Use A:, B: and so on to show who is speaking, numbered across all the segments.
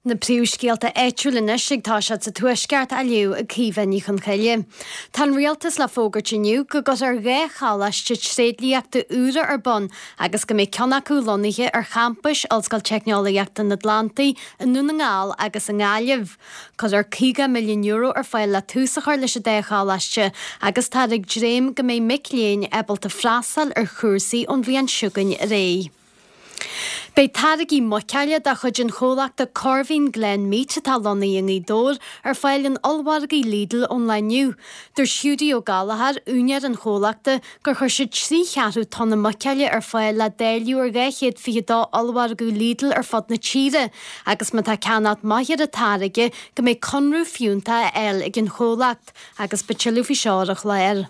A: Na príomhscéalta áitiúla anois ag toiseacht sa Tuaisceart á léamh ag Caoimhe Ní Chonchoille. Tá an Rialtas le fógairt inniu go gcuirfear 2 choláiste tréidliachta úra ar bun agus go mbeidh ceann acu lonnaithe ar champais Ollscoil Teicneolaíochta an Atlantaigh i nDún na nGall agus i nGaillimh. Cuirfear €50 milliún ar fáil le tús a chur leis an dá choláiste agus táthar ag dréim go mbeidh mic léinn ábalta freastal ar chúrsaí ón bhliain seo chugainn ar aghaidh. Beidh táirgí muiceola de chuid an chomhlachta Corveen Glen Meat, atá lonnaithe i nGaoth Dobhair, ar fáil in ollmhargaí Lidl ón lá inniu. Dúirt Hiúdaí Ó Gallchóir, úinéir an chomhlachta, gur chuir siad 3 cheathrú tonna muiceola ar fáil le dáileadh ar 222 ollmhargadh Lidl ar fud na tíre agus má tá ceannacht maith ar an táirge go mbeidh conradh fiúntach á fháil ag an chomhlacht agus beidh tuilleadh faoi seo ar an chlár.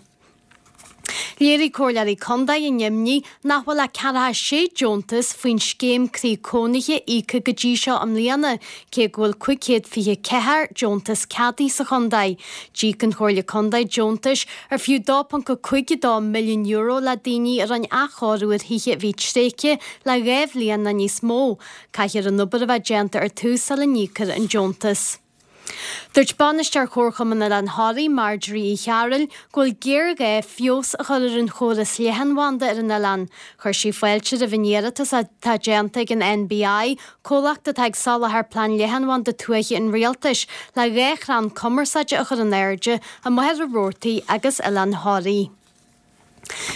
A: Léirigh comhairleoirí contae a n-imní nach bhfuil ach 46 deontas faoin scéim Croí Cónaithe íoctha go dtí seo i mbliana, cé go bhfuil 524 deontas ceadaithe sa chontae. D'íoc an Chomhairle Contae deontais ar fiú €2.52 milliún le daoine a rinne athchóiriú ar thithe a bhí tréigthe le 2 bhliain nó níos mó. Caithfear an obair a bheith déanta ar tús sula n-íocfar an deontas. Dúirt Bainisteoir Chomharchumann Oileán Thoraí, Marjorie Uí Chearúil, go bhfuil géarghá feabhas a chur ar an chóras leathanbhanda ar an oileán. Chuir sí fáilte roimh an iarratas atá déanta ag an NBI, comhlacht atá ag soláthar plean leathanbhanda tuaithe an Rialtais, le 2 chrann cumarsáide a chur in airde i Machaire Rabhartaigh agus Oileán Thoraí.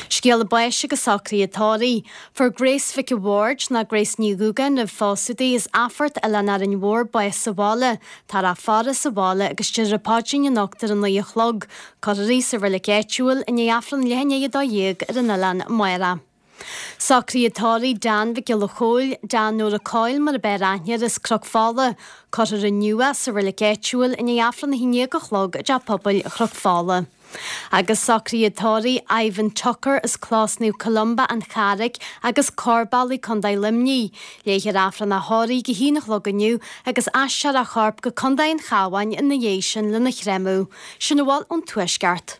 A: Scéala báis agus socruithe tórraimh. Fuair Grace Mhic a' Bhaird, nó Grace Ní Dhúgáin roimh phósadh di, as Athphort, Oileán Árainn Mhór, bás sa bhaile. Táthar á faire sa bhaile agus déarfar an paidrín anocht ar a 9 a chlog. Cuirfear í sa reilig áitiúil i ndiaidh Aifreann leath i ndiaidh 12 ar an oileán amárach. Socruithe tórraimh Dan Mhic Giolla Chóill, Dan Nóra Coyle mar ab fhearr aithne air as Cnoc Fola. Cuirfear inniu é sa reilig áitiúil i ndiaidh Aifreann 11 a chlog i dTeach Pobail Chnoc Fola. Agus socruithe tórraimh Ivan Tucker as Clós Naomh Columba, An Charraic agus Corrbealaigh, Co. Luimnigh. Léifear Aifreann a thórraimh ag a haon a chlog inniu agus aistreofar a chorp go Co. an Chabháin ina dhiaidh sin lena chreimeadh. Sin a bhfuil ón Tuaisceart.